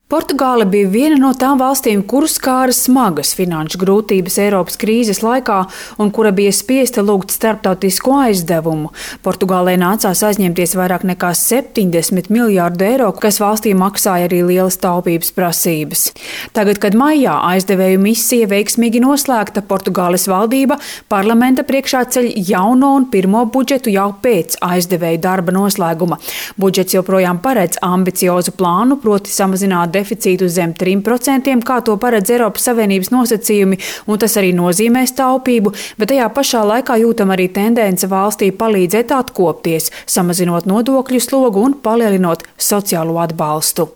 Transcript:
Portugāle bija viena no tām valstīm, kuras skāra smagas finanšu grūtības Eiropas krīzes laikā un kura bija spiesta lūgt starptautisko aizdevumu. Portugālei nācās aizņemties vairāk nekā 70 miljārdu eiro, kas valstī maksāja arī lielas taupības prasības. Tagad, kad maijā aizdevēju misija veiksmīgi noslēgta, Portugāles valdība parlamenta priekšā ceļ jauno un pirmo budžetu jau pēc aizdevēju darba noslēguma. Budžets joprojām paredz ambiciozu plānu, proti samazināt deficītu zem 3%, kā to paredz Eiropas Savienības nosacījumi, un tas arī nozīmēs taupību, bet tajā pašā laikā jūtam arī tendence valstī palīdzēt atkopties, samazinot nodokļu slogu un palielinot sociālo atbalstu.